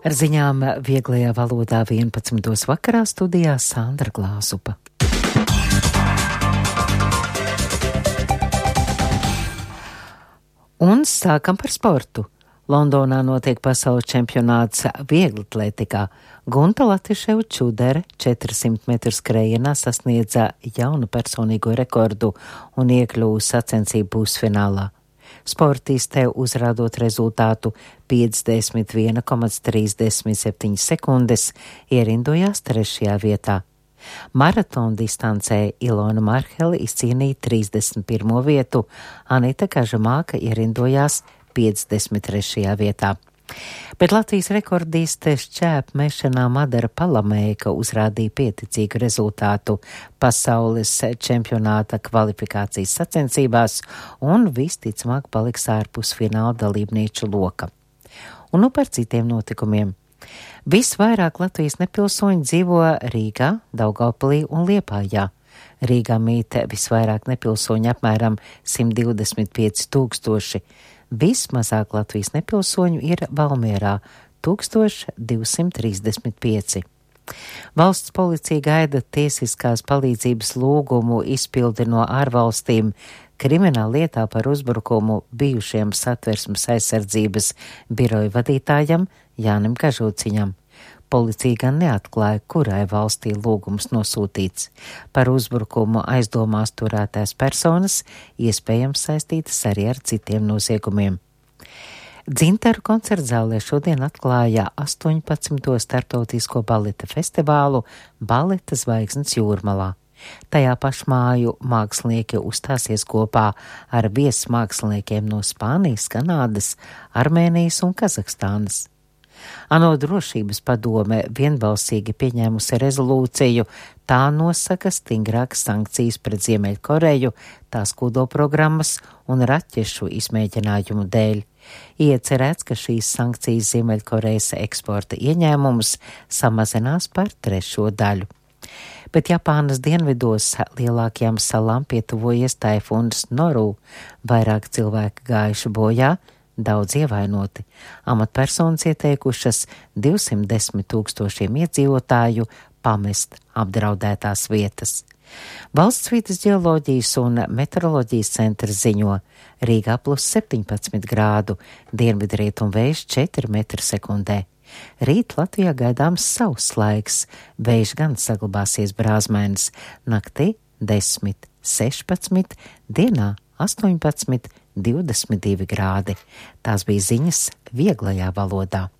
Ar ziņām vieglajā valodā 11. vakarā studijā Sandra Glāzupa. Un sākam par sportu. Londonā notiek pasaules čempionāts vieglatlētikā. Gunta Latviševa Čudere 400 metru skrējienā sasniedza jaunu personīgo rekordu un iekļuva sacensību pusfinālā. Sportiste uzrādot rezultātu 51,37 sekundes ierindojās 3. vietā. Maratona distancē Ilona Marhele izcīnīja 31. vietu, Anita Kažamāka ierindojās 53. vietā. Bet Latvijas rekordiste šķēpmešanā Madara Palamēka uzrādīja pieticīgu rezultātu pasaules čempionāta kvalifikācijas sacensībās un visticamāk paliks ārpus fināla dalībnieču loka. Un nu par citiem notikumiem. Visvairāk Latvijas nepilsoņi dzīvo Rīgā, Daugavpilī un Liepājā. Rīgā mīt visvairāk nepilsoņi apmēram 125 000. Vismazāk Latvijas nepilsoņu ir Valmierā 1235. Valsts policija gaida tiesiskās palīdzības lūgumu izpildi no ārvalstīm krimināla lietā par uzbrukumu bijušiem Satversmes aizsardzības biroja vadītājam Jānim Kažociņam. Policija gan neatklāja, kurai valstī lūgums nosūtīts. Par uzbrukumu aizdomās turētās personas iespējams saistītas arī ar citiem noziegumiem. Dzintaru koncertzālē šodien atklāja 18. starptautisko baleta festivālu Baleta zvaigznes Jūrmalā. Tajā pašmāju mākslinieki uzstāsies kopā ar viesmāksliniekiem no Spānijas, Kanādas, Armēnijas un Kazahstānas. ANO drošības padome vienbalsīgi pieņēmusi rezolūciju, tā nosaka stingrākas sankcijas pret Ziemeļkoreju, tās kodolprogrammas un raķešu izmēģinājumu dēļ. Iecerēts, ka šīs sankcijas Ziemeļkorejas eksporta ieņēmumus samazinās par 3. daļu. Bet Japānas dienvidos lielākajām salām pietuvojies taifūns Noru, vairāk cilvēki gājuši bojā, daudz ievainoti. Amatpersonas ieteikušas 210 000 iedzīvotāju pamest apdraudētās vietas. Valsts vides ģeoloģijas un meteoroloģijas centrs ziņo Rīgā +17 grādu, dienvidrietumu vējš 4 metri sekundē. Rīt Latvijā gaidāms sauss laiks, vējš gan saglabāsies brāzmainis, naktī 10, 16, dienā 18, 22 grādi. Tās bija ziņas vieglajā valodā.